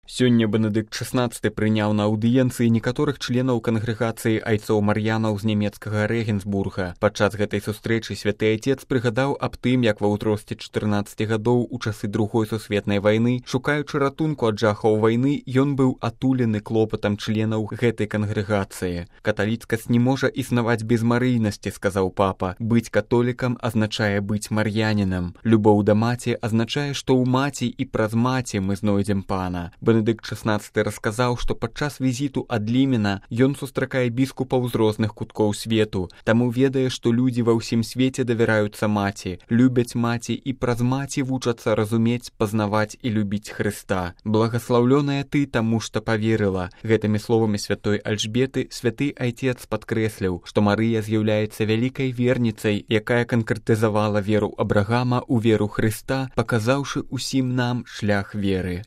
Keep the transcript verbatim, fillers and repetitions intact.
Сёння Бенедыкт шаснаццаты прыняў на аўдыенцыі некаторых членаў кангрэгацыі айцоў мар'янаў з нямецкага Рэгенсбурга. Падчас гэтай сустрэчы святы айцец прыгадаў аб тым, як ва ўзросце чатырнаццаці гадоў у часы другой сусветнай вайны, шукаючы ратунку ад жахаў вайны, ён быў атулены клопатам членаў гэтай кангрэгацыі. Каталіцкасць не можа існаваць без марыйнасці, сказаў папа. Быць католікам азначае быць мар'янінам. Любоў да маці азначае, што ў маці і праз маці мы знойдзем пана. Бенедыкт шаснаццаты расказаў, што падчас візіту ад Лімена ён сустракае біскупаў з розных куткоў свету, таму ведае, што людзі ва ўсім свеце давяраюцца маці, любяць маці і праз маці вучацца разумець, пазнаваць і любіць Хрыста. Благаслаўлёная ты, таму што паверыла. Гэтымі словамі святой Альжбеты святы айцец падкрэсліў, што Марыя з'яўляецца вялікай верніцай, якая канкрэтызавала веру Абрагама ў веру Хрыста, паказаўшы ўсім нам шлях веры.